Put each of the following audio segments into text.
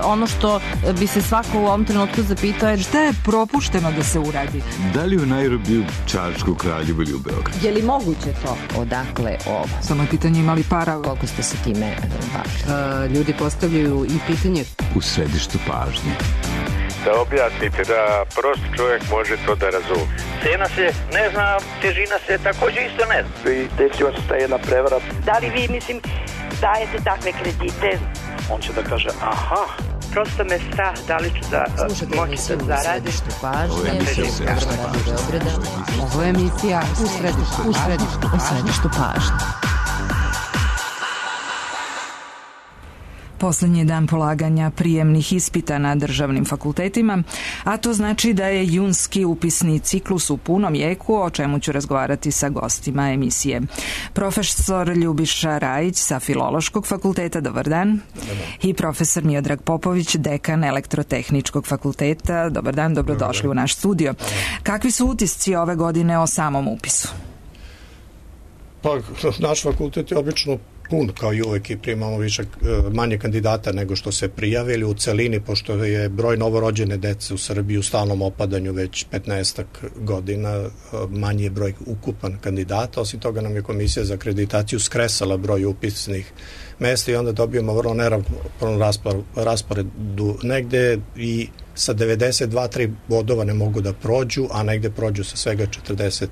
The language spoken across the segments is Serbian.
ono što bi se svako u ovom trenutku zapitao je šta je propušteno da se uradi? Da li u Nairobiju, Čačku, Kraljevu ili u Beogradu? Je li moguće to? Odakle ovo? Samo je pitanje imali para. Koliko ste se time bavili? Ljudi postavljaju i pitanje u središtu pažnje. Da objasnite, da prost čovjek može to da razumije. Cena se ne zna, težina se također isto ne zna. I desila se ta jedna prevara. Da li vi, dajete takve kredite? On će da kaže, aha. Prosto me strah da li ću da moći da zaradim. Ovo je emisija u središtu pažnje. Poslednji dan polaganja prijemnih ispita na državnim fakultetima, a to znači da je junski upisni ciklus u punom jeku, o čemu ću razgovarati sa gostima emisije. Profesor Ljubiša Rajić sa Filološkog fakulteta, dobar dan. I profesor Miodrag Popović, dekan Elektrotehničkog fakulteta, dobar dan, dobrodošli u naš studio. Kakvi su utisci ove godine o samom upisu? Pa, naš fakultet je obično pun, kao i uvek, i primamo manje kandidata nego što se prijavili u celini, pošto je broj novorođene dece u Srbiji u stalnom opadanju već 15 godina, manji je broj ukupan kandidata. Osim toga nam je Komisija za akreditaciju skresala broj upisnih mesta i onda dobijemo vrlo neravnopravan rasporedu. Negde i sa 92-3 bodova ne mogu da prođu, a negde prođu sa svega 40.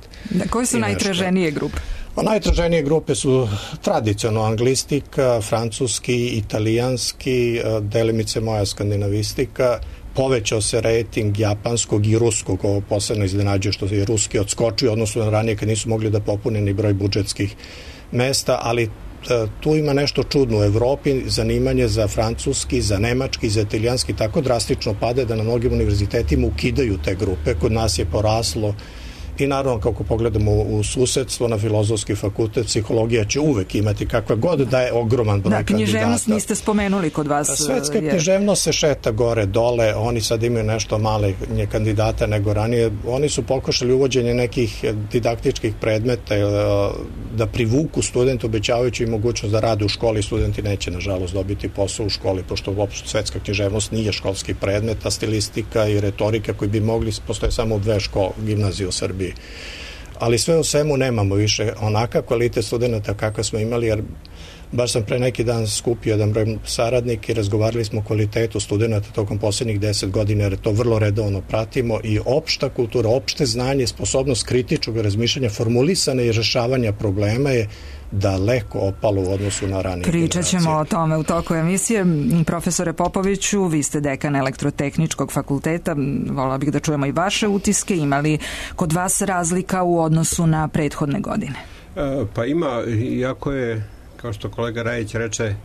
Koje su najtraženije grupe? Najtraženije grupe su tradicionalno anglistika, francuski, italijanski, delimice moja skandinavistika. Povećao se rating japanskog i ruskog, ovo posebno iznenađuje što je ruski odskočio, odnosno na ranije kad nisu mogli da popune ni broj budžetskih mesta, ali tu ima nešto čudno. U Evropi zanimanje za francuski, za nemački, za italijanski tako drastično pade da na mnogim univerzitetima ukidaju te grupe. Kod nas je poraslo i naravno kako pogledamo u susedstvo na Filozofski fakultet, psihologija će uvek imati kakva god da je ogroman broj kandidata. Da, književnost niste spomenuli kod vas. Svetska književnost se šeta gore, dole, oni sad imaju nešto male kandidata nego ranije. Oni su pokušali uvođenje nekih didaktičkih predmeta da privuku studente, obećavajući im mogućnost da rade u školi. Studenti neće, nažalost, dobiti posao u školi, pošto uopšte svetska književnost nije školski predmet, a stilistika i retorika koji bi mogli, postoje samo u 2 gimnazije u Srbiji. Ali sve u svemu nemamo više onakav kvalitet studenta kakav smo imali, jer baš sam pre neki dan skupio jedan broj saradnika i razgovarali smo o kvalitetu studenta tokom poslednjih 10 godina, jer to vrlo redovno pratimo i opšta kultura, opšte znanje, sposobnost kritičkog razmišljanja, formulisane i rešavanja problema je daleko opalo u odnosu na ranije generacije. Pričat ćemo o tome u toku emisije. Profesore Popoviću, vi ste dekan Elektrotehničkog fakulteta, volila bih da čujemo i vaše utiske. Ima li kod vas razlika u odnosu na prethodne godine? Pa ima, iako je, kao što kolega Rajić reče,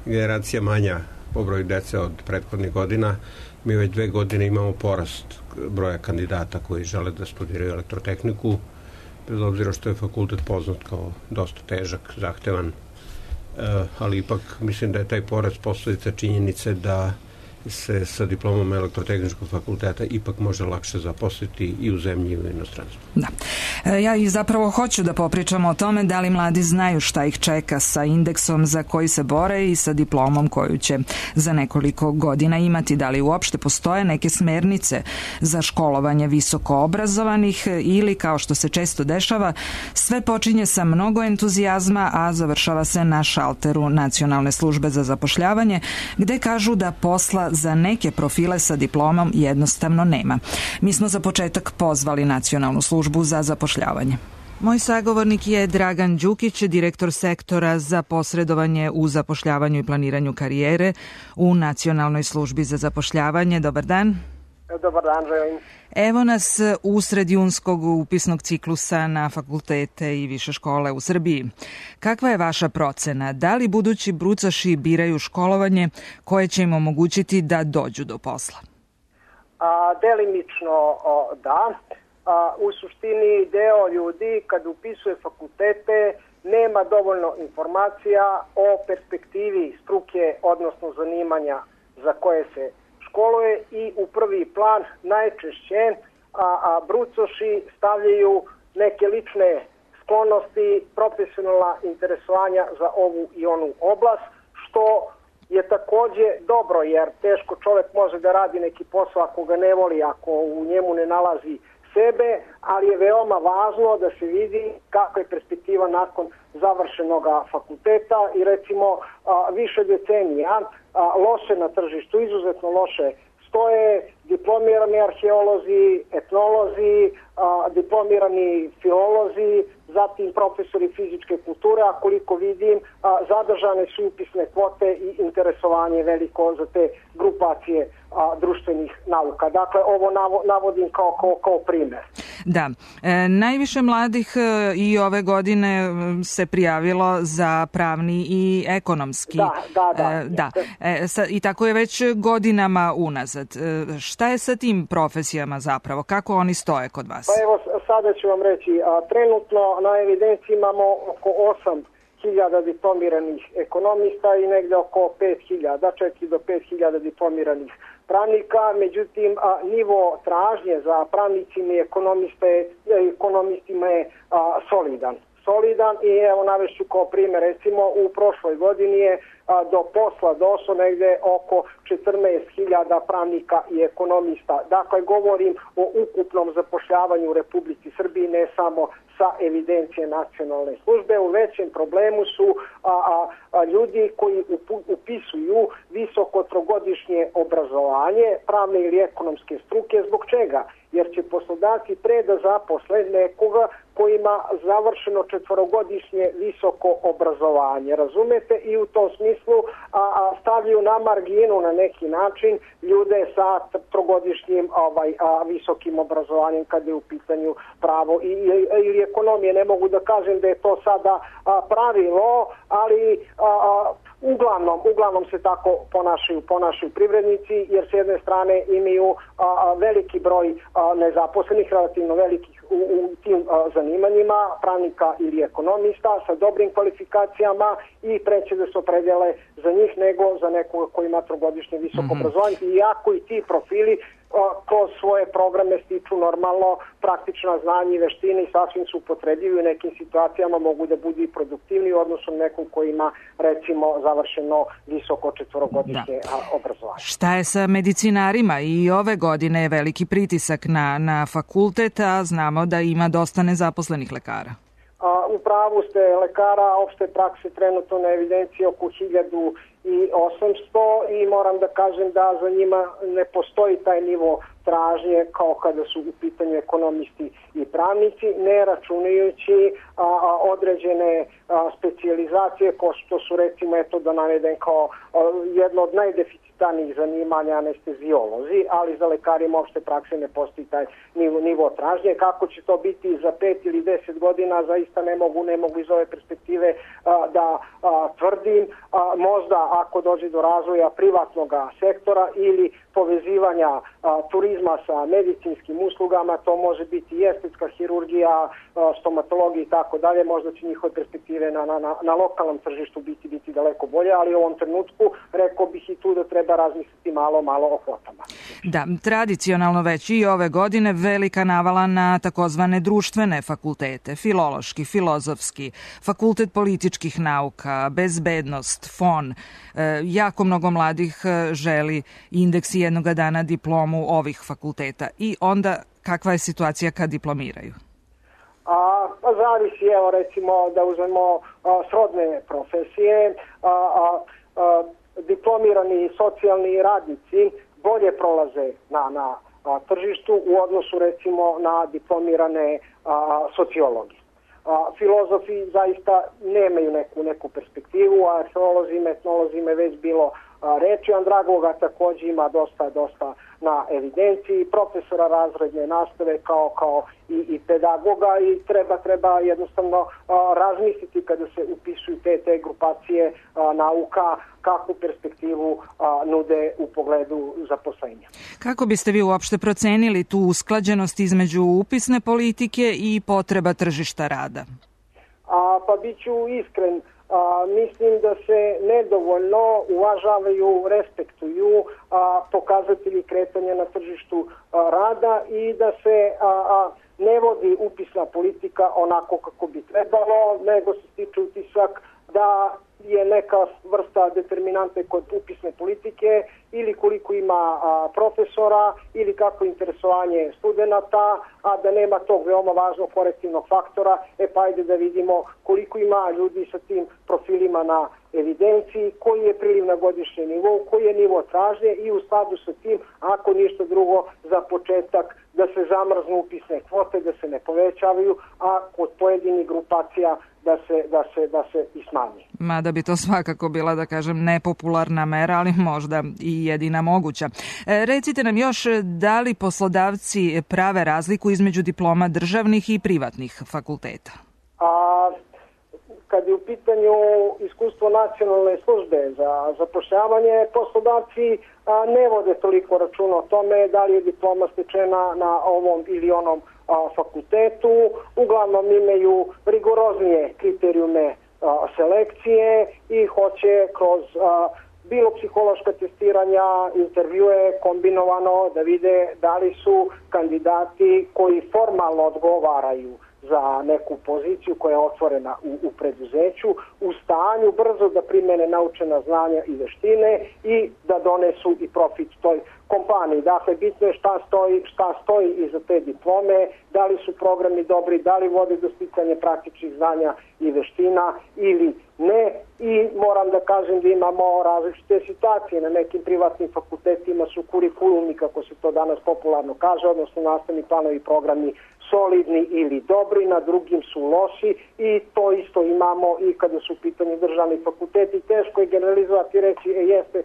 generacija manja po broju dece od prethodnih godina, mi već 2 godine imamo porast broja kandidata koji žele da studiraju elektrotehniku, bez obzira što je fakultet poznat kao dosta težak, zahtevan, ali ipak mislim da je taj porast posledica činjenice da se sa diplomom Elektrotehničkog fakulteta ipak može lakše zaposliti i u zemlji i u inostranstvu. Da. Ja i zapravo hoću da popričamo o tome da li mladi znaju šta ih čeka sa indeksom za koji se bore i sa diplomom koju će za nekoliko godina imati. Da li uopšte postoje neke smernice za školovanje visoko obrazovanih ili, kao što se često dešava, sve počinje sa mnogo entuzijazma, a završava se na šalteru Nacionalne službe za zapošljavanje, gde kažu da posla za neke profile sa diplomom jednostavno nema. Mi smo za početak pozvali Nacionalnu službu za zapošljavanje. Moj sagovornik je Dragan Đukić, direktor sektora za posredovanje u zapošljavanju i planiranju karijere u Nacionalnoj službi za zapošljavanje. Dobar dan. Dobar dan, želim. Evo nas usred junskog upisnog ciklusa na fakultete i više škole u Srbiji. Kakva je vaša procena? Da li budući brucaši biraju školovanje koje će im omogućiti da dođu do posla? Delimično da. U suštini deo ljudi kad upisuje fakultete nema dovoljno informacija o perspektivi struke, odnosno zanimanja za koje se školuje i u prvi plan najčešće brucoši stavljaju neke lične sklonosti, profesionalna interesovanja za ovu i onu oblast, što je takođe dobro, jer teško čovek može da radi neki posao ako ga ne voli, ako u njemu ne nalazi sebe, ali je veoma važno da se vidi kakva je perspektiva nakon završenog fakulteta i recimo više decenija loše na tržištu, izuzetno loše stoje diplomirani arheolozi, etnolozi, diplomirani filolozi, zatim profesori fizičke kulture, a koliko vidim zadržane su upisne kvote i interesovanje veliko za te grupacije društvenih nauka. Dakle, ovo navodim kao primer. Da, najviše mladih i ove godine se prijavilo za pravni i ekonomski. Da. I tako je već godinama unazad. Šta je sa tim profesijama zapravo? Kako oni stoje kod vas? Pa evo, sada ću vam reći, trenutno na evidenciji imamo oko 8.000 diplomiranih ekonomista i negde oko 5.000, 4 do 5.000 diplomiranih pravnika, međutim nivo tražnje za pravnicima i ekonomistima je solidan i evo navešću kao primjer, recimo u prošloj godini je do posla došlo negde oko 14.000 pravnika i ekonomista. Dakle, govorim o ukupnom zapošljavanju u Republici Srbiji, ne samo sa evidencije nacionalne službe. U većem problemu su ljudi koji upisuju visoko trogodišnje obrazovanje, pravne ili ekonomske struke. Zbog čega? Jer će poslodavci pre da zaposle nekoga koji ima završeno 4-godišnje visoko obrazovanje. Razumete? I u tom smislu stavljaju na marginu na neki način ljude sa trogodišnjim visokim obrazovanjem kada je u pitanju pravo ili ekonomije. Ne mogu da kažem da je to sada pravilo, ali uglavnom se tako ponašaju privrednici, jer s jedne strane imaju veliki broj nezaposlenih, relativno velikih u tim zanimanjima, pravnika ili ekonomista sa dobrim kvalifikacijama i preće da se opredele za njih nego za nekoga koji ima trogodišnje visoko obrazovanje. Iako i ti profili kroz svoje programe stiču normalno praktična znanja i veštine i sasvim su upotrebljivi u nekim situacijama, mogu da budu i produktivni u odnosu na nekog koji ima recimo završeno visoko 4-godišnje obrazovanje. Šta je sa medicinarima? I ove godine je veliki pritisak na fakultet, a znamo da ima dosta nezaposlenih lekara. U pravu ste, lekara opšte prakse trenutno na evidenciji oko 1800 i moram da kažem da za njima ne postoji taj nivo tražnje kao kada su u pitanju ekonomisti i pravnici, ne računajući određene specijalizacije kao što su recimo, da navedem kao jedno od najdeficitarnijih zanimanja anesteziolozi, ali za lekarima opšte prakse ne postoji taj nivo tražnje. Kako će to biti za 5 ili 10 godina, zaista ne mogu iz ove perspektive da tvrdim. Možda ako dođe do razvoja privatnog sektora ili povezivanja turizma sa medicinskim uslugama, to može biti i estetska hirurgija, stomatologija i tako dalje, možda će njihove perspektive na lokalnom tržištu biti daleko bolje, ali u ovom trenutku rekao bih i tu da treba razmisliti malo o kvotama. Da, tradicionalno već i ove godine velika navala na takozvane društvene fakultete, filološki, filozofski, fakultet političkih nauka, bezbednost, FON. Jako mnogo mladih želi indeksi jednoga dana diplomu ovih fakulteta. I onda kakva je situacija kad diplomiraju? Zavisi, evo recimo da uzmemo srodne profesije, diplomirani socijalni radnici bolje prolaze na tržištu u odnosu recimo na diplomirane sociologi. Filozofi zaista nemaju neku perspektivu, a arheolozima, etnolozima je već bilo reči. Andragoga takođe ima dosta na evidenciji, profesora razredne nastave kao i pedagoga i treba jednostavno razmisliti kada se upisuju te grupacije nauka kakvu perspektivu nude u pogledu zaposlenja. Kako biste vi uopšte procenili tu usklađenost između upisne politike i potreba tržišta rada? Pa bit ću iskren. Mislim da se nedovoljno uvažavaju, respektuju pokazatelji kretanja na tržištu rada i da se ne vodi upisna politika onako kako bi trebalo, nego se stiče utisak da je neka vrsta determinante kod upisne politike ili koliko ima profesora ili kako interesovanje studenta, a da nema tog veoma važnog korektivnog faktora, pa ajde da vidimo koliko ima ljudi sa tim profilima na evidenciji, koji je priliv na godišnji nivou, koji je nivo tražnje i u skladu sa tim, ako ništa drugo, za početak da se zamrznu upisne kvote, da se ne povećavaju, a kod pojedinih grupacija da se i smanji. Mada bi to svakako bila, da kažem, nepopularna mera, ali možda i jedina moguća. Recite nam još, da li poslodavci prave razliku između diploma državnih i privatnih fakulteta? Kad je u pitanju iskustvo nacionalne službe za zapošljavanje, poslodavci ne vode toliko računa o tome da li je diploma stečena na ovom ili onom fakultetu. Uglavnom imaju rigoroznije kriterijume selekcije i hoće kroz bilo psihološka testiranja, intervjue kombinovano da vide da li su kandidati koji formalno odgovaraju za neku poziciju koja je otvorena u preduzeću, u stanju brzo da primene naučena znanja i veštine i da donesu i profit toj kompaniji. Dakle, bitno je šta stoji iza te diplome, da li su programi dobri, da li vode do sticanja praktičnih znanja i veština ili ne. I moram da kažem da imamo različite situacije. Na nekim privatnim fakultetima su kurikulumi, kako se to danas popularno kaže, odnosno nastavni planovi i programi solidni ili dobri, na drugim su loši i to isto imamo i kada su u pitanju državni fakulteti. Teško je generalizovati i reći jeste,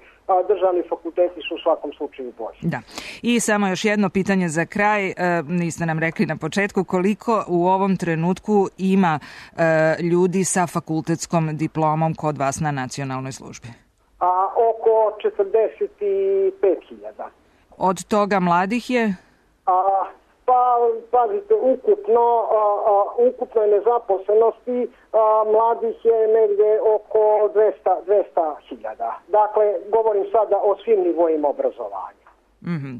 državni fakulteti su u svakom slučaju bolji. Da. I samo još jedno pitanje za kraj. Niste nam rekli na početku koliko u ovom trenutku ima ljudi sa fakultetskom diplomom kod vas na nacionalnoj službi? Oko 45.000. Od toga mladih je? Pa, pazite, ukupno je nezaposlenosti, mladih je negde oko 200.000. Dakle, govorim sada o svim nivoima obrazovanja.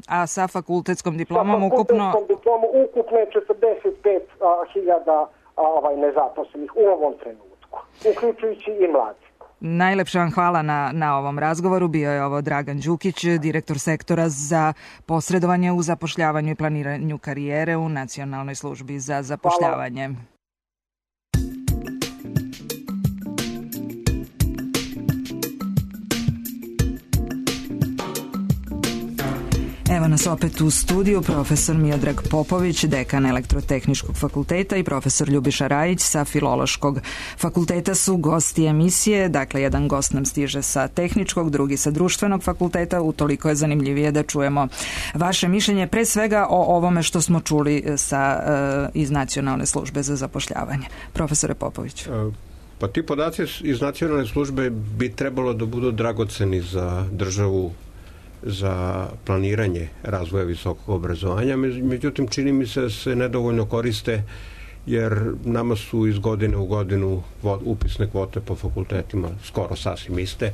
A sa fakultetskom diplomom ukupno? Sa fakultetskom diplomom ukupno je 45.000 nezaposlenih u ovom trenutku, uključujući i mladi. Najlepše vam hvala na ovom razgovoru. Bio je ovo Dragan Đukić, direktor sektora za posredovanje u zapošljavanju i planiranju karijere u Nacionalnoj službi za zapošljavanje. Hvala. Evo nas opet u studiju, profesor Miodrag Popović, dekan Elektrotehničkog fakulteta i profesor Ljubiša Rajić sa Filološkog fakulteta su gosti emisije. Dakle, jedan gost nam stiže sa Tehničkog, drugi sa Društvenog fakulteta. Utoliko je zanimljivije da čujemo vaše mišljenje, pre svega o ovome što smo čuli iz Nacionalne službe za zapošljavanje. Profesore Popović. Pa ti podaci iz Nacionalne službe bi trebalo da budu dragoceni za državu, za planiranje razvoja visokog obrazovanja, međutim čini mi se da se nedovoljno koriste jer nama su iz godine u godinu upisne kvote po fakultetima skoro sasvim iste.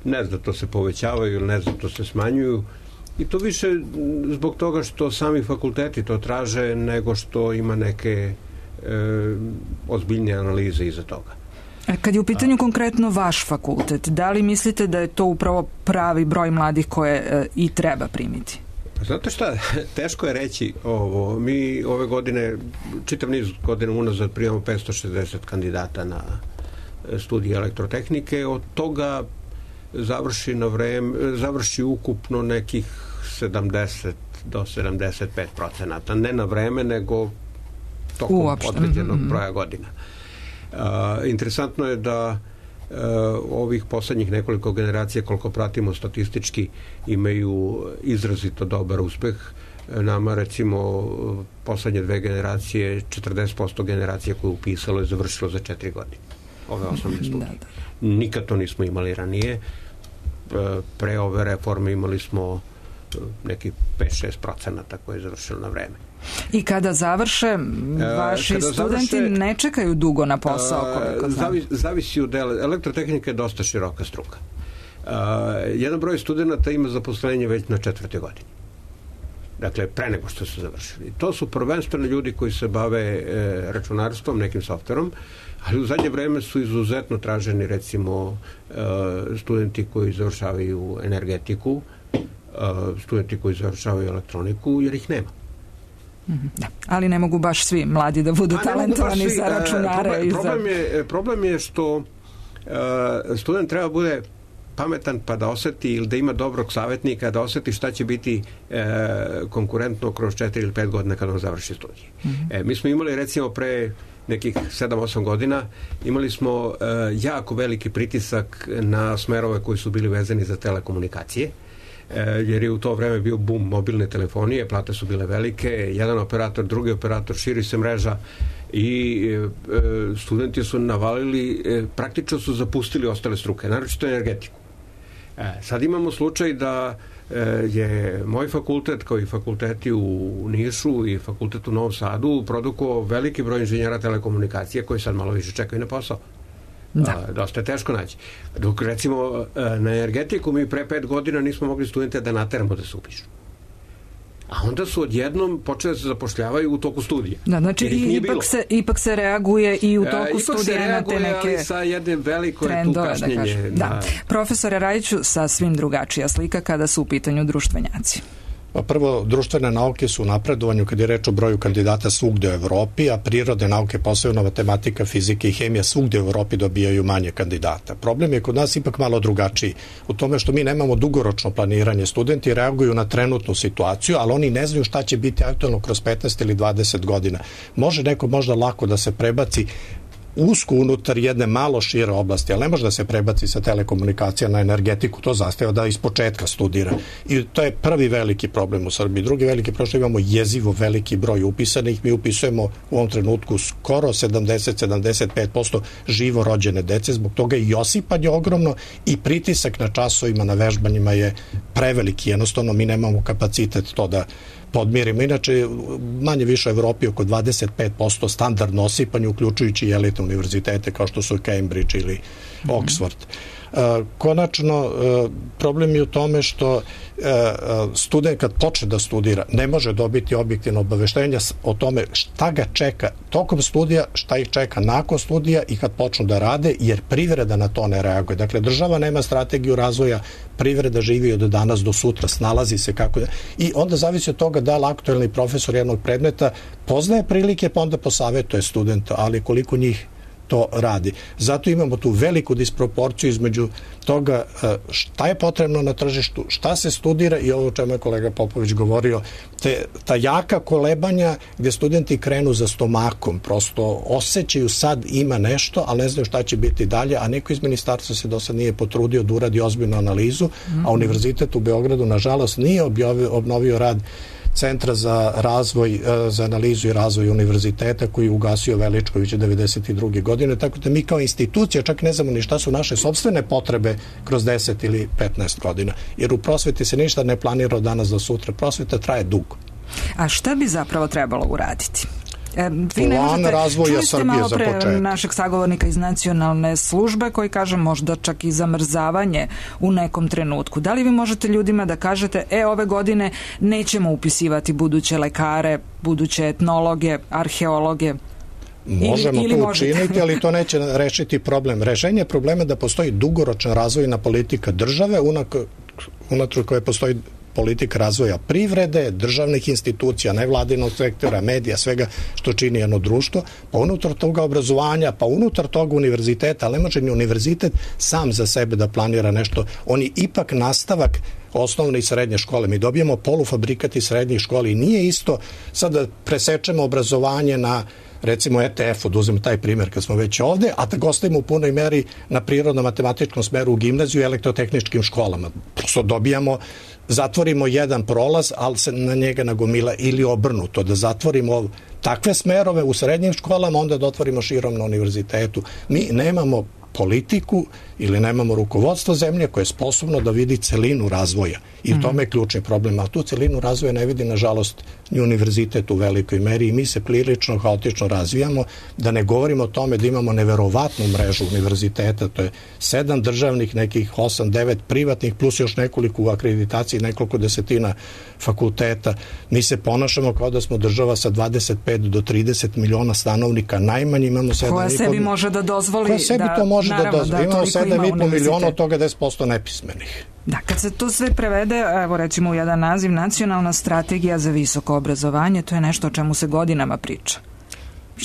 Ne znam da to se povećavaju ili ne znam da to se smanjuju i to više zbog toga što sami fakulteti to traže nego što ima neke ozbiljne analize iza toga. Kad je u pitanju konkretno vaš fakultet, da li mislite da je to upravo pravi broj mladih koje i treba primiti? Znate šta, teško je reći ovo. Mi ove godine, čitav niz godina unazad primamo 560 kandidata na studije elektrotehnike, od toga završi ukupno nekih 70 do 75%, ne na vreme, nego tokom određenog broja godina. Interesantno je da ovih poslednjih nekoliko generacija, koliko pratimo statistički, imaju izrazito dobar uspeh. Nama, recimo, poslednje 2 generacije, 40% generacija koje je upisalo je završilo za 4 godine. Ove osnovne studije. Nikad to nismo imali ranije. Pre ove reforme imali smo neki 5-6% koje je završilo na vreme. I kada završe, vaši studenti ne čekaju dugo na posao, koliko znam. Zavisi od dela. Elektrotehnika je dosta široka struka. Jedan broj studenta ima zaposlenje već na 4. godini. Dakle, pre nego što su završili. To su prvenstveno ljudi koji se bave računarstvom, nekim softverom. Ali u zadnje vreme su izuzetno traženi, recimo, studenti koji završavaju energetiku, studenti koji završavaju elektroniku, jer ih nema. Da. Ali ne mogu baš svi mladi da budu talentovani za računare. Problem je što student treba bude pametan pa da oseti, ili da ima dobrog savjetnika, da oseti šta će biti konkurentno kroz 4 ili 5 godina kada on završi studije. Mi smo imali, recimo, pre nekih 7-8 godina, imali smo jako veliki pritisak na smerove koji su bili vezani za telekomunikacije, jer je u to vreme bio bum mobilne telefonije, plate su bile velike, jedan operator, drugi operator, širi se mreža i studenti su navalili, praktično su zapustili ostale struke, naročito energetiku. Sad imamo slučaj da je moj fakultet, kao i fakulteti u Nišu i fakultet u Novom Sadu, produkovao veliki broj inženjera telekomunikacije koji sad malo više čekaju na posao. Dosta je teško naći. Dok, recimo, na energetiku mi pre 5 godina nismo mogli studente da nateramo da se upišu. A onda su odjednom počeli da se zapošljavaju u toku studija. Da, znači ipak se reaguje i u toku studija na te neke ali sa jednim veliko je tu kašnjenje. Da. Profesore Rajiću, sasvim drugačija slika kada su u pitanju društvenjaci. Prvo, društvene nauke su u napredovanju kad je reč o broju kandidata svugde u Evropi, a prirodne nauke, posebno matematika, fizika i hemija, svugde u Evropi dobijaju manje kandidata. Problem je kod nas ipak malo drugačiji u tome što mi nemamo dugoročno planiranje. Studenti reaguju na trenutnu situaciju, ali oni ne znaju šta će biti aktualno kroz 15 ili 20 godina. Može neko možda lako da se prebaci usko unutar jedne malo šire oblasti, ali ne može da se prebaci sa telekomunikacija na energetiku, to zahteva da iz početka studira. I to je prvi veliki problem u Srbiji. Drugi veliki problem što imamo jezivo veliki broj upisanih. Mi upisujemo u ovom trenutku skoro 70-75% živo rođene dece, zbog toga i osipanje ogromno i pritisak na časovima, na vežbanjima je preveliki. Jednostavno mi nemamo kapacitet to da podmirimo. Inače, manje više u Evropi oko 25% standardno osipanje, uključujući i elitne univerzitete kao što su Cambridge ili Oxford. Konačno, problem je u tome što student kad počne da studira ne može dobiti objektivno obaveštenja o tome šta ga čeka tokom studija, šta ih čeka nakon studija i kad počnu da rade, jer privreda na to ne reaguje. Dakle, država nema strategiju razvoja, privreda živi od danas do sutra, snalazi se kako da... I onda zavisi od toga da li aktuelni profesor jednog predmeta poznaje prilike pa onda posavetuje studenta, ali koliko njih to radi. Zato imamo tu veliku disproporciju između toga šta je potrebno na tržištu, šta se studira i ovo o čemu je kolega Popović govorio, ta jaka kolebanja gdje studenti krenu za stomakom, prosto osjećaju sad ima nešto, ali ne znaju šta će biti dalje, a neko iz ministarstva se do sad nije potrudio da uradi ozbiljnu analizu, a Univerzitet u Beogradu nažalost nije obnovio rad Centra za razvoj, za analizu i razvoj univerziteta koji je ugasio Veličković 92. godine, tako da mi kao institucija čak ne znamo ni šta su naše sopstvene potrebe kroz 10 ili 15 godina. Jer u prosveti se ništa ne planira od danas do sutra. Prosveta traje dugo. A šta bi zapravo trebalo uraditi? Plan razvoja Srbije za početak. Našeg sagovornika iz nacionalne službe koji kaže možda čak i zamrzavanje u nekom trenutku. Da li vi možete ljudima da kažete ove godine nećemo upisivati buduće lekare, buduće etnologe, arheologe? Možemo to učiniti, ali to neće rešiti problem. Rešenje problema je da postoji dugoročna razvojna politika države unutar koje postoji politika razvoja privrede, državnih institucija, nevladinog sektora, medija, svega što čini jedno društvo, pa unutar toga obrazovanja, pa unutar toga univerziteta, ali ne može ni univerzitet sam za sebe da planira nešto. On je ipak nastavak osnovne i srednje škole. Mi dobijemo polufabrikat iz srednjih škola i nije isto sad da presečemo obrazovanje na recimo ETF-u, da uzmemo taj primjer kad smo već ovde, a da ga ostavimo u punoj meri na prirodno-matematičkom smeru u gimnaziju i elektrotehničkim školama. Prosto zatvorimo jedan prolaz, ali se na njega nagomila ili obrnuto, da zatvorimo takve smerove u srednjim školama, onda da otvorimo širom na univerzitetu. Mi nemamo politiku ili nemamo rukovodstvo zemlje koje je sposobno da vidi celinu razvoja. I u tome je ključni problem. A tu celinu razvoja ne vidi, nažalost, ni univerzitet u velikoj meri i mi se prilično haotično razvijamo, da ne govorimo o tome da imamo neverovatnu mrežu univerziteta, to je 7 državnih, nekih 8-9 privatnih, plus još nekoliko u akreditaciji, nekoliko desetina fakulteta. Mi se ponašamo kao da smo država sa 25 do 30 miliona stanovnika, najmanje imamo 7,5... Koja sebi može da dozvoli... Koja sebi to može da dozvoli. Imamo 7,5 miliona, od toga 10% nepismenih. Da, kad se to sve prevede, evo recimo u jedan naziv, Nacionalna strategija za visoko obrazovanje, to je nešto o čemu se godinama priča.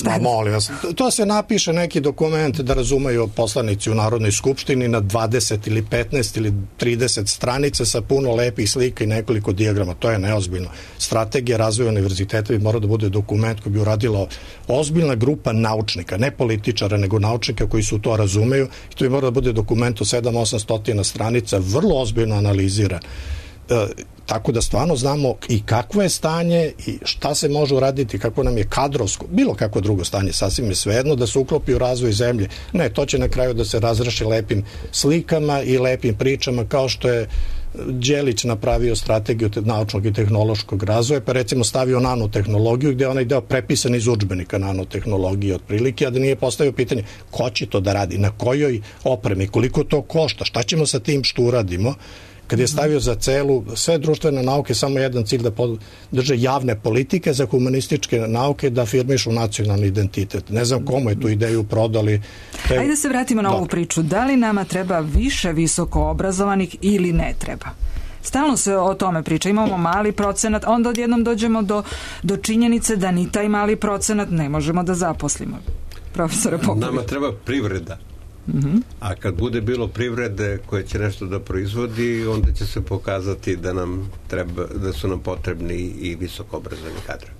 Ma, molim vas, to se napiše neki dokument da razumeju poslanici u Narodnoj skupštini na 20 ili 15 ili 30 stranica sa puno lepih slika i nekoliko dijagrama. To je neozbiljno. Strategija razvoja univerziteta bi morao da bude dokument koji bi uradila ozbiljna grupa naučnika, ne političara, nego naučnika koji su to razumeju. I to bi morao da bude dokument od 700-800 stranica, vrlo ozbiljno analizira. Tako da stvarno znamo i kakvo je stanje i šta se može uraditi, kako nam je kadrovsko, bilo kako drugo stanje, sasvim je svejedno da se uklopi u razvoj zemlje. Ne, to će na kraju da se razreši lepim slikama i lepim pričama, kao što je Đelić napravio strategiju naučnog i tehnološkog razvoja, pa recimo stavio nanotehnologiju, gde je onaj deo prepisan iz udžbenika nanotehnologije otprilike, a da nije postavio pitanje ko će to da radi, na kojoj opremi, koliko to košta, šta ćemo sa tim što uradimo. Kad je stavio za sve društvene nauke samo jedan cilj, da podrže javne politike, za humanističke nauke da afirmišu nacionalni identitet. Ne znam komu je tu ideju prodali. Ajde da se vratimo na ovu priču. Da li nama treba više visoko obrazovanih ili ne treba? Stalno se o tome priča. Imamo mali procenat, onda odjednom dođemo do činjenice da ni taj mali procenat ne možemo da zaposlimo. Profesore Popović. Nama treba privreda. A kad bude bilo privrede koje će nešto da proizvodi, onda će se pokazati da su nam potrebni i visoko obrazovani kadrovi.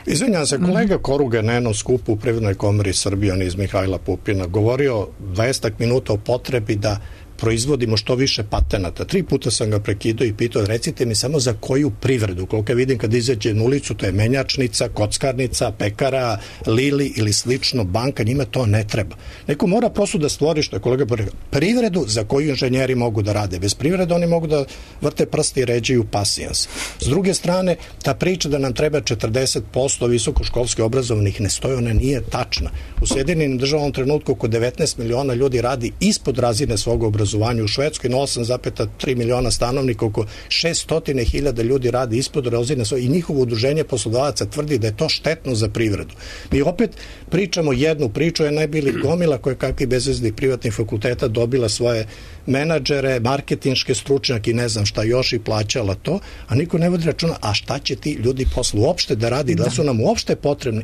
Izvinjam se, kolega Koruga na jednom skupu u Privrednoj komori Srbije, on iz Mihajla Pupina, govorio 20 minuta o potrebi da proizvodimo što više patenata. 3 puta sam ga prekidao i pitao, recite mi samo za koju privredu. Koliko vidim kad izađe na ulicu, to je menjačnica, kockarnica, pekara, Lili ili slično, banka, njima to ne treba. Neko mora prosto da stvori, što je kolega rekao, privredu za koju inženjeri mogu da rade. Bez privrede oni mogu da vrte prsti i ređaju pasijans. S druge strane, ta priča da nam treba 40% visokoškolski obrazovanih ne stoji, ona nije tačna. U Sjedinjenim državama trenutku oko 19 miliona ljudi radi ispod razine svog obrazovanja. U Švedskoj na 8,3 miliona stanovnika oko 600.000 ljudi radi ispod razine i njihovo udruženje poslodavaca tvrdi da je to štetno za privredu. Mi opet pričamo jednu priču, je najbili gomila koje kakvi bezveznih privatnih fakulteta dobila svoje menadžere, marketinške stručnjake i ne znam šta još i plaćala to, a niko ne vodi računa, a šta će ti ljudi posle uopšte da radi, da su nam uopšte potrebni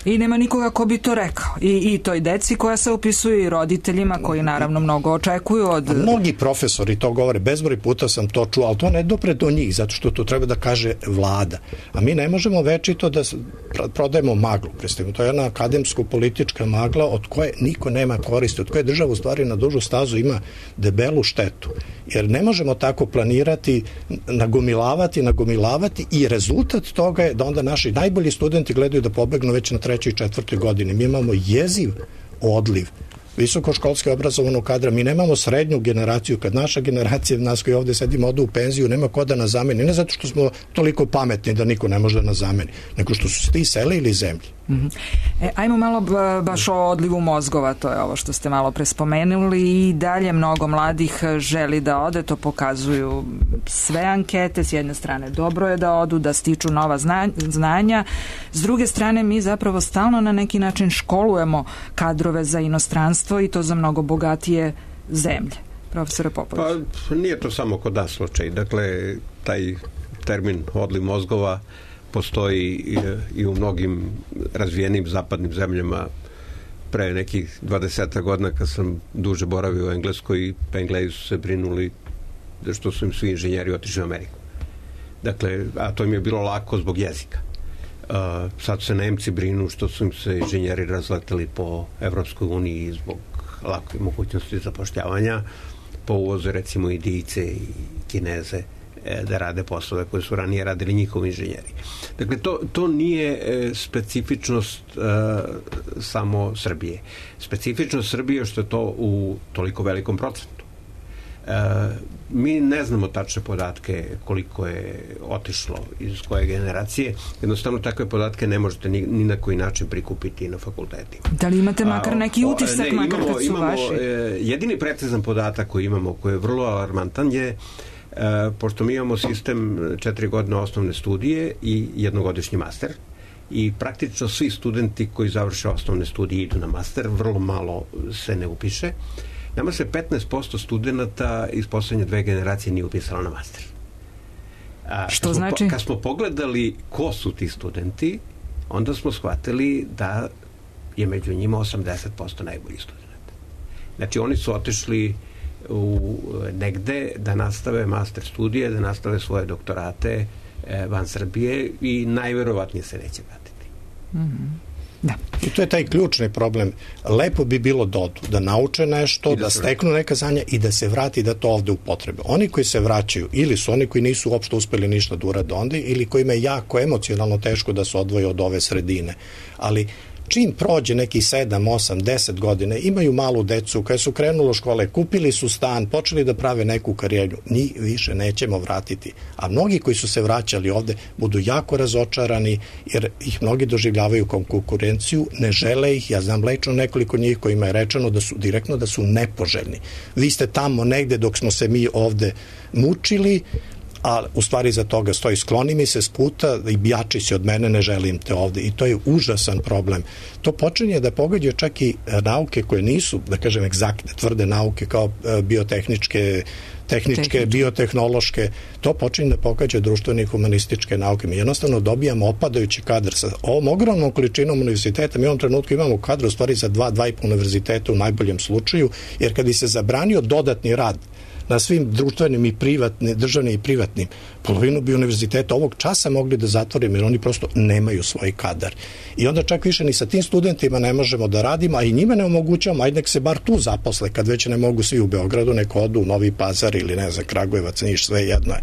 i nema nikoga ko bi to rekao. I toj deci koja se upisuju i roditeljima koji naravno mnogo očekuju od... Mnogi profesori to govore, bezbroj puta sam to čuo, ali to ne dopre do njih, zato što to treba da kaže vlada. A mi ne možemo večito da prodajemo maglu, predstavimo. To je jedna akademsko-politička magla od koje niko nema koristi, od koje država u stvari na dužu stazu ima debelu štetu. Jer ne možemo tako planirati, nagomilavati i rezultat toga je da onda naši najbolji studenti gledaju da pobegnu već na 3. i 4. godini. Mi imamo jeziv odliv visokoškolski obrazovanog kadra, mi nemamo srednju generaciju, kad naša generacija, nas koji ovde sedimo, odu u penziju, nema ko da nas zameni, ne zato što smo toliko pametni da niko ne može da nas zameni, nego što su se ti selili zemlji. Ajmo malo baš o odlivu mozgova, to je ovo što ste malo prespomenuli i dalje mnogo mladih želi da ode, to pokazuju sve ankete, s jedne strane dobro je da odu, da stiču nova znanja, s druge strane mi zapravo stalno na neki način školujemo kadrove za inostranstvo i to za mnogo bogatije zemlje. Profesore Popović. Pa nije to samo kod nas slučaj, dakle taj termin odliv mozgova postoji i u mnogim razvijenim zapadnim zemljama. Pre nekih 20 godina kad sam duže boravio u Engleskoj, pa Englezi su se brinuli da što su im svi inženjeri otišli u Ameriku. Dakle, a to im je bilo lako zbog jezika. Sad se Nemci brinu što su im se inženjeri razleteli po Evropskoj uniji zbog lake mogućnosti zapošljavanja, po uvoze recimo Indijce i Kineze da rade poslove koje su ranije radili njihovi inženjeri. Dakle, to nije specifičnost samo Srbije. Specifičnost Srbije je što je to u toliko velikom procentu. Mi ne znamo tačne podatke koliko je otišlo iz koje generacije. Jednostavno takve podatke ne možete ni na koji način prikupiti na fakultetima. Da li imate makar neki utisak, makar kad su vaši? Jedini precizan podatak koji imamo, koji je vrlo alarmantan, je pošto mi imamo sistem 4 godine osnovne studije i jednogodišnji master, i praktično svi studenti koji završe osnovne studije idu na master, vrlo malo se ne upiše. Nama se 15% studenta iz poslednje 2 generacije nije upisalo na master. Što znači? Kad smo pogledali ko su ti studenti, onda smo shvatili da je među njima 80% najboljih studenta. Znači, oni su otišli negde da nastave master studije, da nastave svoje doktorate van Srbije i najverovatnije se neće vratiti. Da. I to je taj ključni problem. Lepo bi bilo da odu, da nauče nešto, da steknu neka znanja i da se vrati da to ovde upotrebe. Oni koji se vraćaju, ili su oni koji nisu uopšte uspeli ništa da urade onda, ili kojima je jako emocionalno teško da se odvoje od ove sredine. Ali čim prođe neki 7, 8, 10 godine, imaju malu decu, kada su krenuli u škole, kupili su stan, počeli da prave neku karijeru, njih više nećemo vratiti. A mnogi koji su se vraćali ovde budu jako razočarani, jer ih mnogi doživljavaju kao konkurenciju, ne žele ih. Ja znam lično nekoliko njih kojima je rečeno da su direktno da su nepoželjni. Vi ste tamo negde dok smo se mi ovde mučili, a u stvari za toga stoji skloni mi se s puta i jači si od mene, ne želim te ovde. I to je užasan problem. To počinje da pogađa čak i nauke koje nisu, da kažem, egzaktne, tvrde nauke kao biotehničke, biotehnološke. To počinje da pogađa društvene i humanističke nauke. Mi jednostavno dobijamo opadajući kadar sa ovom ogromnom količinom univerziteta. Mi u ovom trenutku imamo kadar u stvari za 2,5 univerziteta u najboljem slučaju, jer kad bi se zabranio dodatni rad na svim društvenim i privatnim, državnim i privatnim, polovinu bi univerziteta ovog časa mogli da zatvorimo, jer oni prosto nemaju svoj kadar. I onda čak više ni sa tim studentima ne možemo da radimo, a i njima ne omogućavamo, ajde nek se bar tu zaposle, kad već ne mogu svi u Beogradu, neko odu u Novi Pazar ili ne znam, Kragujevac, Niš, sve jedno je.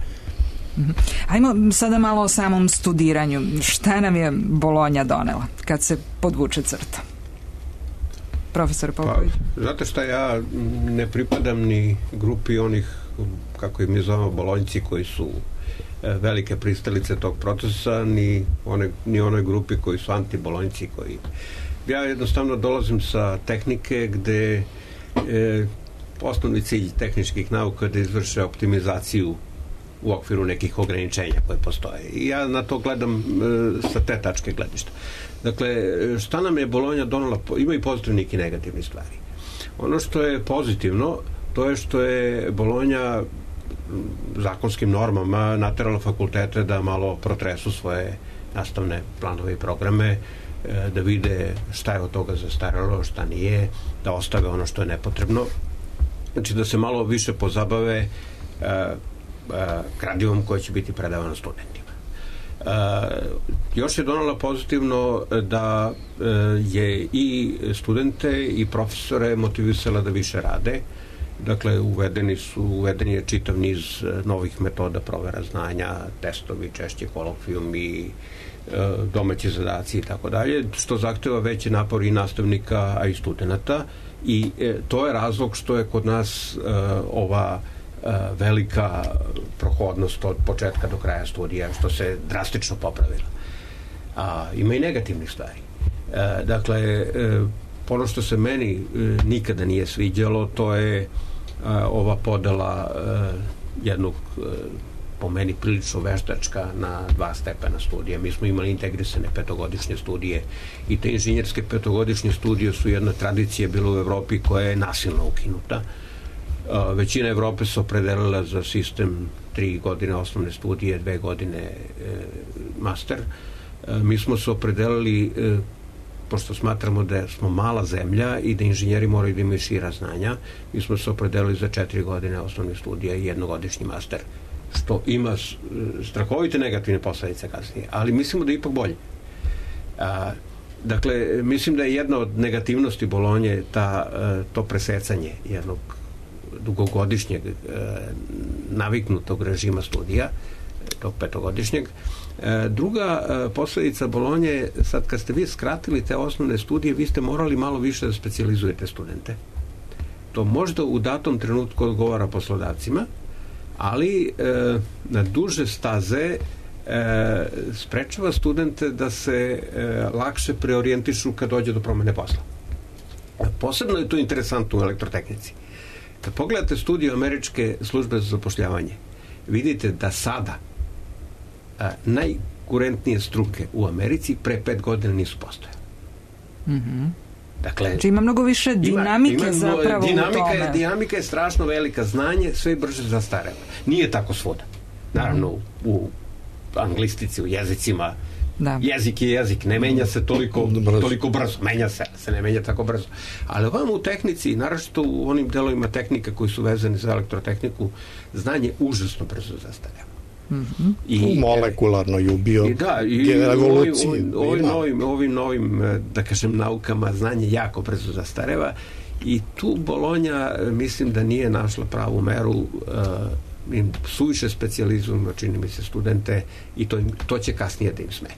Ajmo sada malo o samom studiranju. Šta nam je Bolonja donela kad se podvuče crta? Profesor Popović. Znate šta, ja ne pripadam ni grupi onih, kako im je zovemo, bolonjci, koji su velike pristalice tog procesa, ni onoj grupi koji su antibolonjci. Ja jednostavno dolazim sa tehnike gde osnovni cilj tehničkih nauka je da izvrše optimizaciju u okviru nekih ograničenja koje postoje. I ja na to gledam sa te tačke gledišta. Dakle, šta nam je Bolonja donela? Ima i pozitivnih i negativnih stvari. Ono što je pozitivno, to je što je Bolonja zakonskim normama naterala fakultete da malo protresu svoje nastavne planove i programe, da vide šta je od toga zastaralo, šta nije, da ostave ono što je nepotrebno. Znači, da se malo više pozabave gradivom koje će biti predavano studentima. Još je donala pozitivno da je i studente i profesore motivisala da više rade. Dakle, uveden je čitav niz novih metoda provera znanja, testovi, češće kolokvijumi, domaći zadaci i tako dalje, što zahteva veći napor i nastavnika, a i studenta, i to je razlog što je kod nas ova velika prohodnost od početka do kraja studija, što se drastično popravila. Ima i negativnih stvari. Dakle, ono što se meni nikada nije sviđalo, to je ova podela jednog, po meni, prilično veštačka na 2 stepena studija. Mi smo imali integrisane 5-godišnje studije i te inženjerske 5-godišnje studije su jedna tradicija bila u Evropi koja je nasilno ukinuta. Većina Evrope se opredelila za sistem 3 godine osnovne studije, 2 godine master. Mi smo se opredelili, pošto smatramo da smo mala zemlja i da inženjeri moraju da imaju šira znanja, mi smo se opredelili za 4 godine osnovne studije i 1-godišnji master, što ima strahovite negativne posledice kasnije, ali mislimo da je ipak bolje. Dakle, mislim da je jedna od negativnosti Bolonje to presecanje jednog dugogodišnjeg naviknutog režima studija, tog petogodišnjeg. Druga posledica Bolonje, sad kad ste vi skratili te osnovne studije, vi ste morali malo više da specijalizujete studente. To možda u datom trenutku odgovara poslodavcima, ali na duže staze sprečava studente da se lakše preorijentišu kad dođe do promene posla. Posebno je to interesantno u elektrotehnici. Kad pogledate studiju Američke službe za zapošljavanje, vidite da sada najkurentnije struke u Americi pre 5 godina nisu postojale. Dakle, znači ima mnogo više dinamike zapravo u tome. Dinamika je strašno velika, znanje sve brže zastareva. Nije tako svuda. Naravno, u anglistici, u jezicima, jezik je jezik, ne menja se toliko brzo. Menja se ne menja tako brzo. Ali ovamo u tehnici, naročito u onim delovima tehnike koji su vezani za elektrotehniku, znanje užasno brzo zastareva. I molekularno i u bioevoluciji. Ovim novim, da kažem, naukama znanje jako brzo zastareva i tu Bolonja mislim da nije našla pravu meru, suviše specijalizujemo, čini mi se, studente i to će kasnije da im smeta.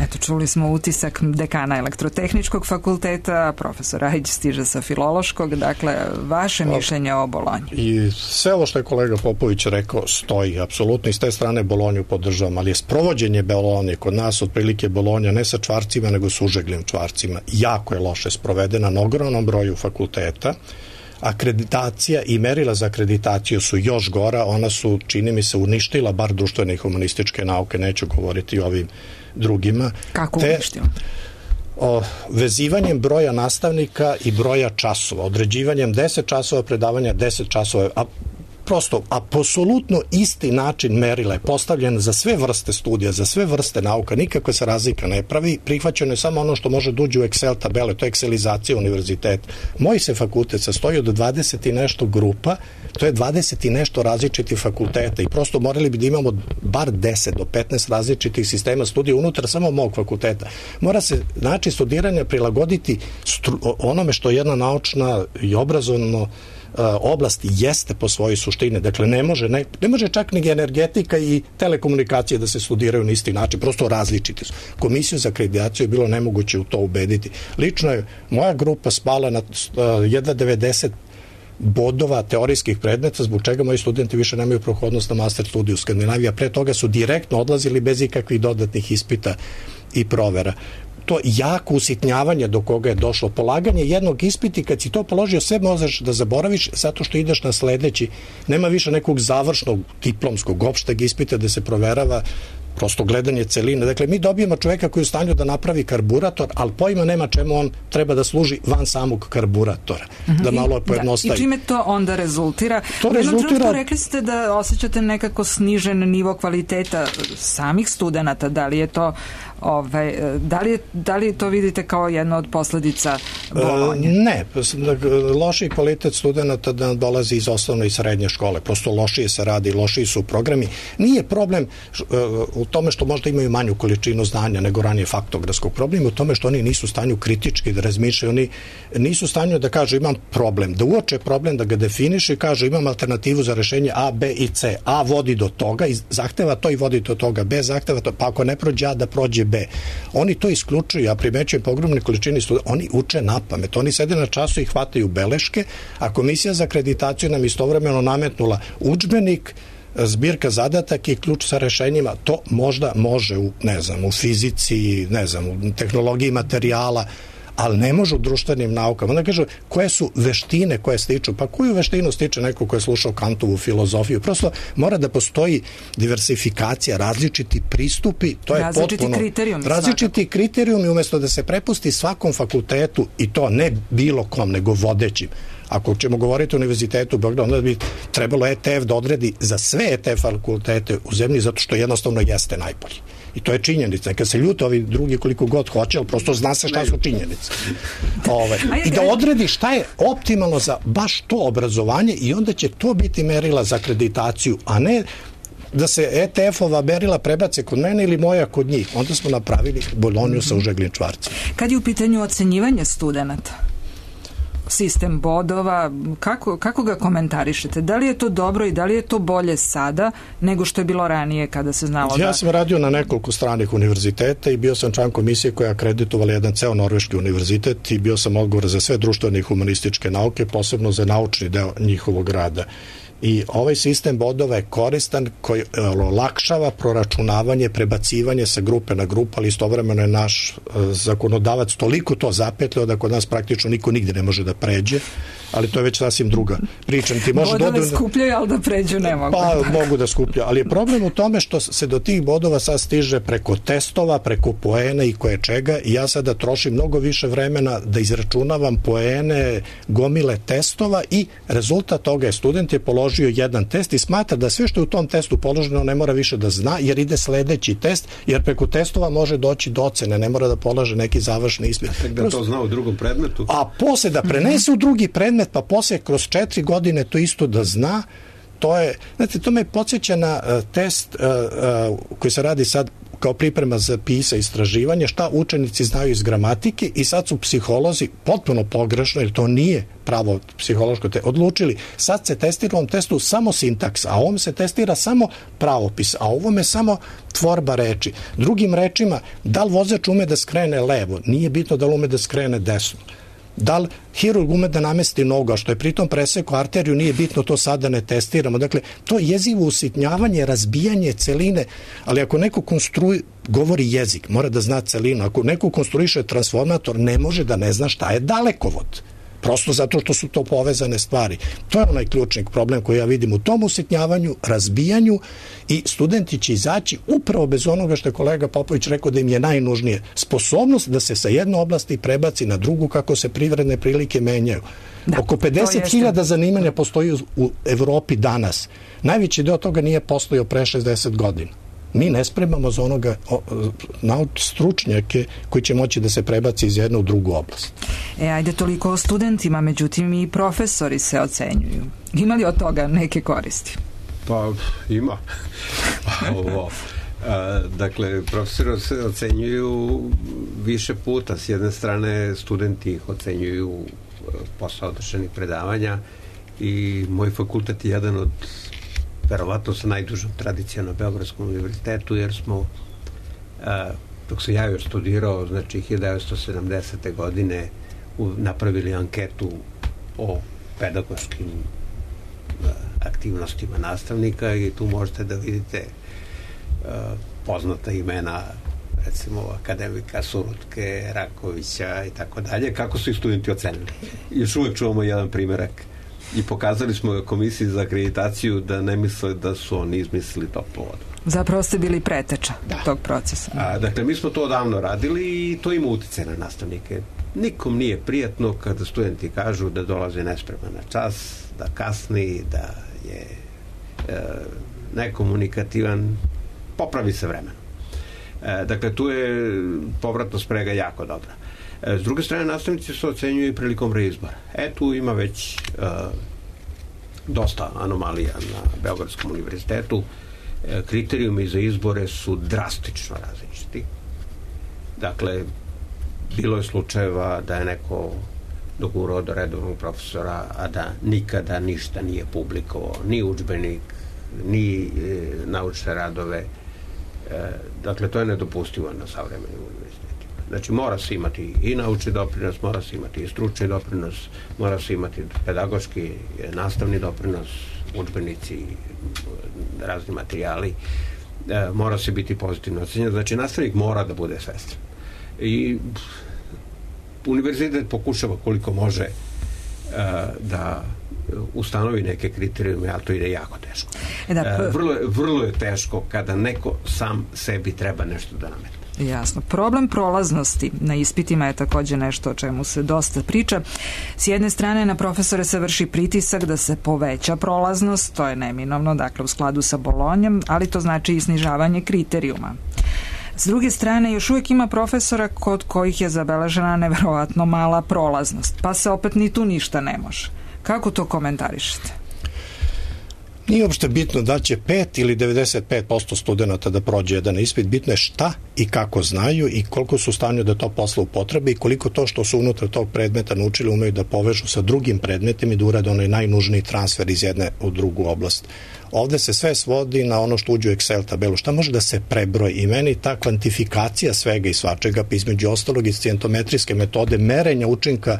Eto, čuli smo utisak dekana Elektrotehničkog fakulteta, profesor Rajić stiže sa Filološkog, dakle, vaše mišljenje o Bolonji. I sve ovo što je kolega Popović rekao stoji, apsolutno, i s te strane Bolonju podržavam, ali je sprovođenje Bolonje kod nas otprilike Bolonja ne sa čvarcima, nego s užeglim čvarcima. Jako je loše sprovedena na ogromnom broju fakulteta. Akreditacija i merila za akreditaciju su još gora, ona su, čini mi se, uništila bar društvene i humanističke nauke, neću govoriti o ovim drugima. Kako uništila? Vezivanjem broja nastavnika i broja časova, određivanjem 10 časova predavanja, 10 časova, prosto apsolutno isti način merila je postavljen za sve vrste studija, za sve vrste nauka, nikakva se razlika ne pravi, prihvaćeno je samo ono što može da uđe u Excel tabele, to je ekselizacija univerziteta. Moj se fakultet sastoji od 20 i nešto grupa, to je 20 i nešto različitih fakulteta i prosto morali bi da imamo bar 10 do 15 različitih sistema studija unutar samo mog fakulteta. Mora se način studiranja prilagoditi onome što jedna naučna i obrazovno oblast jeste po svojoj suštini. Dakle, ne može čak ni energetika i telekomunikacije da se studiraju na isti način, prosto različiti su. Komisiju za akreditaciju je bilo nemoguće u to ubediti. Lično je moja grupa spala na jedva 90 bodova teorijskih predmeta, zbog čega moji studenti više nemaju prohodnost na master studiju u Skandinaviji, a pre toga su direktno odlazili bez ikakvih dodatnih ispita i provera. To jako usitnjavanje do koga je došlo, polaganje jednog ispita i kad si to položio sve možeš da zaboraviš zato što ideš na sledeći, nema više nekog završnog diplomskog opšteg ispita da se proverava prosto gledanje celine. Dakle, mi dobijemo čoveka koji je u stanju da napravi karburator, ali pojma nema čemu on treba da služi van samog karburatora. Da malo pojednostavi. I čime to onda rezultira? U jednom trenutku rekli ste da osjećate nekako snižen nivo kvaliteta samih studenata. Da li je to da li to vidite kao jedna od posledica Bolonje? Ne, lošiji kvalitet studenta da dolazi iz osnovne i srednje škole, prosto lošije se radi, lošiji su programi. Nije problem u tome što možda imaju manju količinu znanja nego ranije faktografskog problema, u tome što oni nisu u stanju kritički da razmišljaju, oni nisu u stanju da kažu imam problem, da uoče problem, da ga definišu i kažu imam alternativu za rešenje A, B i C. A vodi do toga i zahteva to i vodi do toga, B zahteva to, pa ako ne prođe A, da prođe B. Oni to isključuju, ja primećujem po ogromnoj količini studenta, oni uče na pamet, oni sede na času i hvataju beleške, a Komisija za akreditaciju nam istovremeno nametnula udžbenik, zbirka zadataka i ključ sa rešenjima. To možda može u fizici, u tehnologiji materijala, ali ne može u društvenim naukama. Onda kažu, koje su veštine koje stiču? Pa koju veštinu stiče neko ko je slušao Kantovu filozofiju? Prosto mora da postoji diversifikacija, različiti pristupi, to je potpuno... Različiti kriterijumi, umesto da se prepusti svakom fakultetu, i to ne bilo kom, nego vodećim. Ako ćemo govoriti o Univerzitetu u Beogradu, onda bi trebalo ETF da odredi za sve ETF fakultete u zemlji, zato što jednostavno jeste najbolji. I to je činjenica. Kad se ljute ovi drugi koliko god hoće, ali prosto zna se šta su činjenice. I da odredi šta je optimalno za baš to obrazovanje i onda će to biti merila za akreditaciju, a ne da se ETF-ova merila prebace kod mene ili moja kod njih. Onda smo napravili Bolonju sa užeglim čvarcem. Kad je u pitanju ocenjivanje studenta? sistem bodova, kako ga komentarišete? Da li je to dobro i da li je to bolje sada nego što je bilo ranije kada se znalo Ja sam radio na nekoliko stranih univerziteta i bio sam član komisije koja akreditovala jedan ceo norveški univerzitet i bio sam odgovoran za sve društvene i humanističke nauke, posebno za naučni deo njihovog rada. I ovaj sistem bodova je koristan koji olakšava proračunavanje, prebacivanje sa grupe na grupu, ali istovremeno je naš zakonodavac toliko to zapetljao da kod nas praktično niko nigde ne može da pređe, ali to je već sasvim druga priča. Bodove skupljaju, ali da pređu ne mogu. Pa mogu da skupljaju, ali je problem u tome što se do tih bodova sad stiže preko testova, preko poena i koje čega i ja sada trošim mnogo više vremena da izračunavam poene, gomile testova i rezultat toga je student je položio jedan test i smatra da sve što je u tom testu položeno ne mora više da zna jer ide sledeći test, jer preko testova može doći do ocene, ne mora da polaže neki završni ispit. Tek da to zna u drugom predmetu. A posle da prenese u drugi predmet, pa posle kroz 4 godine to isto da zna, to je, znate, to me podsjeća na test koji se radi sad kao priprema za PISA istraživanje, šta učenici znaju iz gramatike i sad su psiholozi potpuno pogrešno, jer to nije pravo psihološko odlučili. Sad se testira u ovom testu samo sintaks, a ovom se testira samo pravopis, a ovome samo tvorba reči. Drugim rečima, da li vozač ume da skrene levo? Nije bitno da li ume da skrene desno. Da li hirurg ume da namesti nogu, a što je pritom presekao arteriju, nije bitno, to sada ne testiramo. Dakle, to je jezivo usitnjavanje, razbijanje celine, ali ako neko govori jezik, mora da zna celinu. Ako neko konstruiše transformator, ne može da ne zna šta je dalekovod. Prosto zato što su to povezane stvari. To je onaj ključni problem koji ja vidim u tom usitnjavanju, razbijanju i studenti će izaći upravo bez onoga što je kolega Popović rekao da im je najnužnije. Sposobnost da se sa jedne oblasti prebaci na drugu kako se privredne prilike menjaju. Da, oko 50.000 zanimanja postoji u Evropi danas. Najveći deo toga nije postojao pre 60 godina. Mi ne spremamo za onoga stručnjake koji će moći da se prebaci iz jedne u drugu oblast. Ajde toliko o studentima, međutim i profesori se ocenjuju. Ima li od toga neke koristi? Pa ima. Dakle, profesori se ocenjuju više puta. S jedne strane, studenti ih ocenjuju posle održanih predavanja i moj fakultet je jedan od verovatno sa najdužom tradicijom na Beogradskom univerzitetu, jer smo dok sam ja još studirao, znači 1970. godine napravili anketu o pedagoškim aktivnostima nastavnika i tu možete da vidite poznata imena, recimo akademika Surutke, Rakovića i tako dalje, kako su ih studenti ocenili. Još uvek čuvamo jedan primerak i pokazali smo komisiji za akreditaciju da ne misle da su oni izmislili toplu vodu. Zapravo ste bili preteča tog procesa. Dakle, mi smo to odavno radili i to ima uticaj na nastavnike. Nikom nije prijatno kada studenti kažu da dolaze nespreman na čas, da kasni, da je nekomunikativan, popravi se vremenom. Dakle, tu je povratna sprega jako dobra. S druge strane, nastavnici se ocenjuju i prilikom reizbora. Tu ima već dosta anomalija na Beogradskom univerzitetu. Kriterijumi za izbore su drastično različiti. Dakle, bilo je slučajeva da je neko dogurao do redovnog profesora, a da nikada ništa nije publikovao, ni udžbenik, ni naučne radove. Dakle, to je nedopustivo na savremenim univerzitetima. Znači, mora se imati i naučni doprinos, mora se imati i stručni doprinos, mora se imati pedagoški, nastavni doprinos, udžbenici, razni materijali, mora se biti pozitivno ocenjen. Znači, nastavnik mora da bude svestan. I univerzitet pokušava koliko može da ustanovi neke kriterijume, a to ide jako teško. Vrlo je teško kada neko sam sebi treba nešto da nametne. Jasno. Problem prolaznosti na ispitima je takođe nešto o čemu se dosta priča. S jedne strane na profesore se vrši pritisak da se poveća prolaznost, to je neminovno, dakle u skladu sa Bolonjom, ali to znači i snižavanje kriterijuma. S druge strane, još uvijek ima profesora kod kojih je zabeležena neverovatno mala prolaznost, pa se opet ni tu ništa ne može. Kako to komentarišete? Nije uopšte bitno da će 5 ili 95% studenta da prođe jedan ispit, bitno je šta i kako znaju i koliko su u stanju da to posle upotrebe i koliko to što su unutar tog predmeta naučili umeju da povežu sa drugim predmetima i da urade onaj najnužniji transfer iz jedne u drugu oblast. Ovde se sve svodi na ono što uđe u Excel tabelu, šta može da se prebroji i meni ta kvantifikacija svega i svačega, pa između ostalog iz scientometrijske metode merenja učinka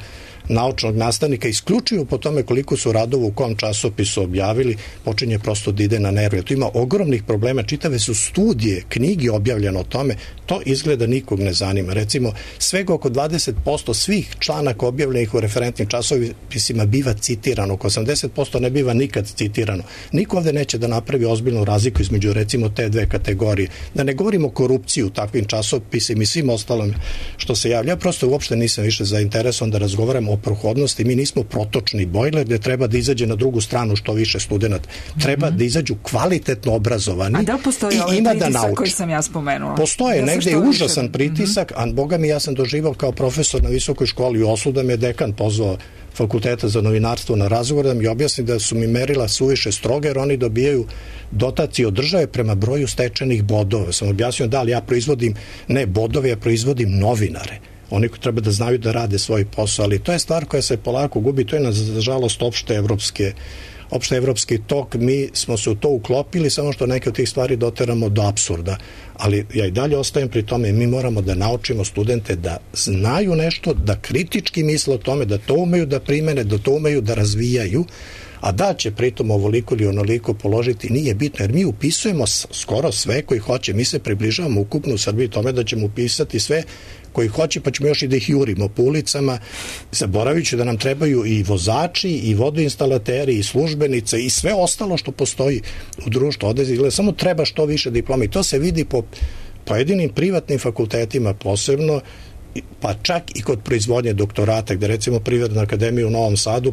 naučnog nastavnika isključivo po tome koliko su radova u kom časopisu objavili, počinje prosto da ide na nerve. Tu ima ogromnih problema, čitave su studije, knjige objavljene o tome, to izgleda nikog ne zanima. Recimo, svega oko 20% svih članaka objavljenih u referentnim časopisima biva citirano, oko 80% ne biva nikad citirano. Niko ovde neće da napravi ozbiljnu razliku između recimo te dve kategorije. Da ne govorimo o korupciji u takvim časopisima i svim ostalom što se javlja. Ja prosto uopšte nisam više zainteresovan da razgovaram o prohodnosti. Mi nismo protočni bojler gde treba da izađe na drugu stranu što više studenta. Treba da izađu kvalitetno obrazovani i ima da nauči. A da postoji ovaj pritisak koji sam ja spomenula? Postoje, negde je užasan pritisak, a boga mi ja sam doživao kao profesor na visokoj školi u Oslu da me dekan pozvao Fakulteta za novinarstvo na razgovor da mi objasni da su mi merila suviše stroge jer oni dobijaju dotacije od države prema broju stečenih bodova. Sam objasnio da li ja proizvodim ne bodove, ja proizvodim novinare. Oni koji treba da znaju da rade svoj posao, ali to je stvar koja se polako gubi, to je nažalost opšte evropski tok, mi smo se u to uklopili, samo što neke od tih stvari doteramo do apsurda, ali ja i dalje ostajem pri tome, mi moramo da naučimo studente da znaju nešto, da kritički misle o tome, da to umeju da primene, da to umeju da razvijaju, a da će pritom ovoliko ili onoliko položiti nije bitno, jer mi upisujemo skoro sve koji hoće, mi se približavamo ukupno u Srbiji tome da ćemo upisati sve koji hoće, pa ćemo još i da ih jurimo po ulicama, zaboravit ću da nam trebaju i vozači, i vodoinstalateri, i službenice, i sve ostalo što postoji u društvu. Ovde samo treba što više diploma i to se vidi po pojedinim privatnim fakultetima posebno, pa čak i kod proizvodnje doktorata, gde recimo Privredna akademija u Novom Sadu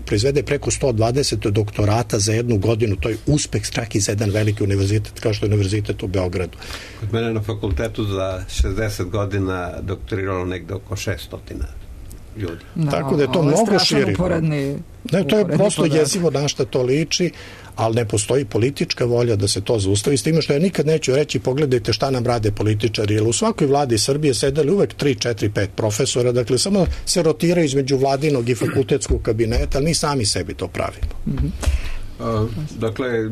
proizvede preko 120 doktorata za jednu godinu, to je uspeh čak i za jedan veliki univerzitet kao što je univerzitet u Beogradu. Kod mene na fakultetu za 60 godina doktoriralo negde oko 600 ljudi. Tako da je to mnogo širi. To je prosto jezivo na šta to liči, ali ne postoji politička volja da se to zaustavi, s time što ja nikad neću reći pogledajte šta nam rade političari, jer u svakoj vladi Srbije sedeli uvek 3, 4, 5 profesora, dakle samo se rotiraju između vladinog i fakultetskog kabineta, ali mi sami sebi to pravimo. Dakle,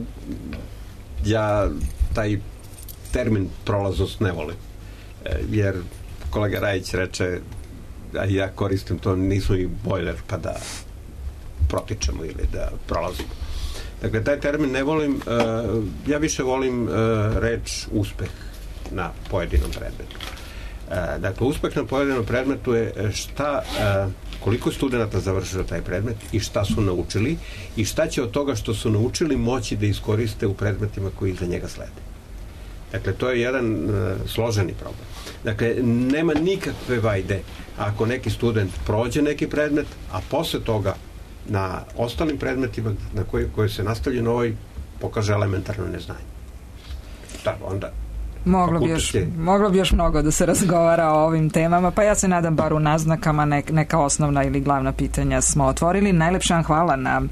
ja taj termin prolaznost ne volim, jer kolega Rajić reče, a ja koristim to, nismo i bojler pa da protičemo ili da prolazimo. Dakle, taj termin ne volim, ja više volim reč uspeh na pojedinom predmetu. Dakle, uspeh na pojedinom predmetu je koliko studenta završilo taj predmet i šta su naučili i šta će od toga što su naučili moći da iskoriste u predmetima koji iza njega slede. Dakle, to je jedan složeni problem. Dakle, nema nikakve vajde ako neki student prođe neki predmet, a posle toga na ostalim predmetima na koji se nastavlja novoj pokaže elementarno neznanje. Da, onda Moglo bi još mnogo da se razgovara o ovim temama, pa ja se nadam bar u naznakama neka osnovna ili glavna pitanja smo otvorili. Najlepša vam hvala na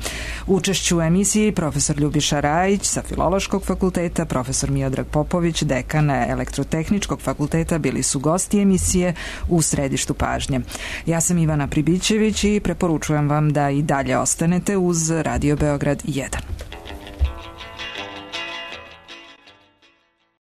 učešću u emisiji profesor Ljubiša Rajić sa Filološkog fakulteta, profesor Miodrag Popović, dekan Elektrotehničkog fakulteta, bili su gosti emisije u središtu pažnje. Ja sam Ivana Pribićević i preporučujem vam da i dalje ostanete uz Radio Beograd 1.